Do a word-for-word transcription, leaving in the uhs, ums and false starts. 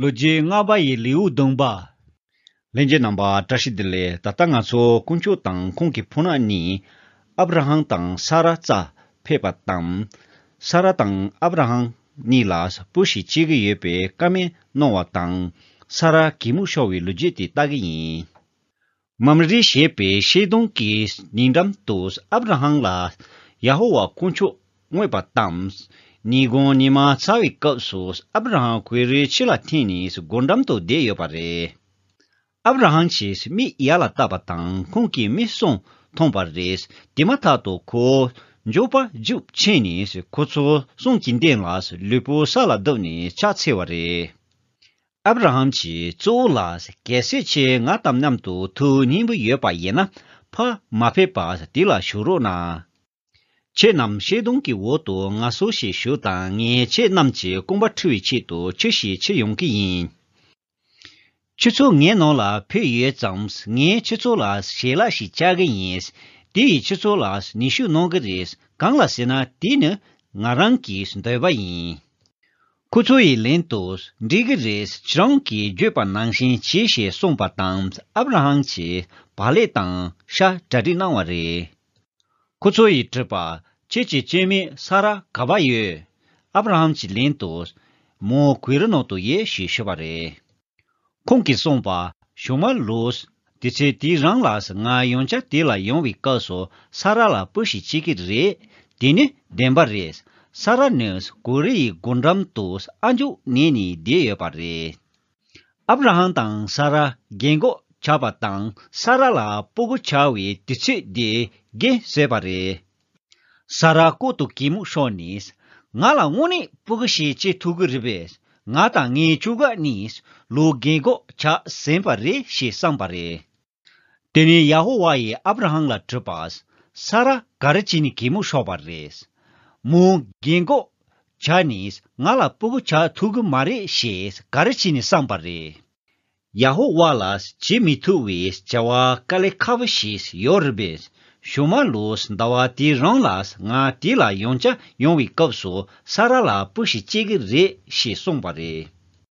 ལོ་རྒྱུས་ལྔ་པ་ཡི་ལེའུ་བདུན་པ། ལྷན་རྒྱས་རྣམ་པ་བཀྲ་ཤིས་བདེ་ལེགས། ད་ལྟ་ང་ཚོ་དཀོན་མཆོག་དང་ཁོང་གི་ཕོ་ཉ་གཉིས་ཨབ་ར་ཧམ་དང་ས་ར་རྩར་ཕེབས་པ་དང་། ས་ར་དང་ཨབ་ར་ཧམ་གཉིས་ལ་བུ་ཞིག་སྐྱེ་གི་ཡོད་པའི་བཀའ་མོལ་གནང་བ་དང་། ས་ར་གད་མོ་ཤོར་བའི་ལོ་རྒྱུས་དེ་ལྟ་གི་ཡིན། མམ་རེ་ཞེས་པའི་ཤེལ་དོང་གི་ཉེ་འགྲམ་དུ་ཨབ་ར་ཧམ་ལ་ཡ་ཧོ་ཝཱ་དཀོན་མཆོག་མངོན་པ་དང་། ཉིན་གུང་ཉི་མ་ཚ་བའི་སྐབས་སུ་ཨབ་ར་ཧམ་གོས་རས་ཕྱི་ལ་འཐེན་ནས་སྒོ་འགྲམ་དུ་བསྡད་ཡོད་པ་རེད། ཨབ་ར་ཧམ་གྱིས་མིག་ཡར་ལ་བལྟས་པ་དང་ཁོང་གིས་མི་གསུམ་མཐོང་བ་རེད། དེ་མ་ཐག་ཏུ་ཁོ་མགྱོགས་པར་རྒྱུགས་ཕྱིན་ནས་ཁོ་ཚོ་གསུམ་གྱི་མདུན་ལ་ལུས་པོ་ས་ལ་བརྡབས་ནས་ཕྱག་འཚལ་བ་རེད། ཨབ་ར་ཧམ་གྱིས་གཙོ་བོ་ལ། གལ་སྲིད་ཁྱེད་ང་དང་མཉམ་དུ་ཐུགས་མཉེས་པོ་ཡོད་པ་ཡིན་ན། ཕར་མ་ཕེབས་པར་དེ་ལ་བཞུགས་རོགས་གནང་། ཁྱེད་རྣམས་ཤེལ་དོང་གི་འོག་ཏུ་ངལ་གསོ་ཞིག་ཞུ་དང་། ངས་ཁྱེད་རྣམས་ཀྱི་རྐང་པ་འཁྲུ་བའི་ཆེད་དུ་ཆུ་ཞིག་འཁྱེར་ཡོང་གི་ཡིན། ཁྱེད་ཚོ་ངའི་ནང་ལ་ཕེབས་ཡོད་ཙང་། ངས་ཁྱེད་ཚོ་ལ་ཞལ་ལག་ཞིག་བཅག་གི་ཡིན། དེ་ཡིས་ཁྱེད་ཚོ་ལ་ནུས་ཤུགས་གནང་གི་རེད། གང་ལ་ཟེར་ན་དེ་ནི་ང་རང་གི་འདོད་པ་ཡིན། ཁོ་ཚོ་ཡི་ལན་དུ། འགྲིག་གི་རེད། ཁྱེད་རང་གིས་བརྗོད་པ་ནང་བཞིན་བྱེད་ཞེས་གསུངས་པ་དང་། ཨབ་ར་ཧམ་གྱིས་བག་ལེབ་དང་ཤ་གྲ་སྒྲིག་གནང་བ་རེད། ཁོ་ཚོ་ཡིས་དྲིས་པ། ཁྱེད་ཀྱི་སྐྱེ་དམན་ས་ར་ག་པར་ཡོད། ཨབ་ར་ཧམ་གྱིས་ལན་དུ། མོ་གོས་རི་ནང་དུ་ཡོད་ཞེས་ཤོད་པ་རེད། ཁོང་གིས་གསུངས་པ། ཞུ་མ་ལོས། དུས་ཚོད་དེའི་རིང་ལ་ང་ཡང་བསྐྱར་དེ་ལ་ཡོང་བའི་སྐབས་སུ་ས་ར་ལ་བུ་ཞིག་སྐྱེ་གི་རེད། དེ་ནི་བདེན་པ་རེད། ས་ར་ནི་གོས་རི་ཡི་སྒོ་འགྲམ་དུ་ཨ་མཆོག་ཉལ་ནས་བསྡད་ཡོད་པ་རེད། ཨབ་ར་ཧམ་དང་ས་ར་རྒན་གོག་ཆགས་པ་དང་། ས་ར་ལ་སྤུ་གུ་ཆགས་པའི་དུས་ཚོད་དེ་རྒན་ཟེར་བ་རེད། ས་ར་ལྐོག་ཏུ་གད་མོ་ཤོར་ནས། ང་ལ་དངོས་གནས་སྤུ་གུ་ཞིག་སྐྱེ་ཐུབ་ཀྱི་རེད་པས། ང་དང་ངའི་ཁྱོ་ག་གཉིས་ལོ་རྒན་གོག་ཆགས་ཟིན་པ་རེད་ཞེས་བསམས་པ་རེད། དེ་ནས་ཡ་ཧོ་ཝཱ་ཡིས་ཨབ་ར་ཧམ་ལ་དྲིས་པ། ས་ར་ག་རེ་བྱས་ནས་གད་མོ་ཤོར་བ་རེད། མོ་རྒན་གོག་ཆགས་ནས་ང་ལ་སྤུ་གུ་ཆགས་ཐུབ་ཀྱི་མ་རེད་ཞེས་ག་རེ་བྱས་ནས་བསམས་པ་རེད། ཡ་ཧོ་ཝཱ་ལ་བྱེད་མི་ཐུབ་པའི་བྱ་བ་དཀའ་ལས་ཁག་པོ་ཞིག་ཡོད་རེད་པས། ཞུ་མ་ལོས། ཟླ་བ་དེའི་རིང་ལ་ང་དེ་ལ་ཡང་བསྐྱར་ཡོང་བའི་སྐབས་སུ་ས་ར་ལ་བུ་ཞིག་སྐྱེ་གི་རེད་ཞེས་གསུངས་པ་རེད།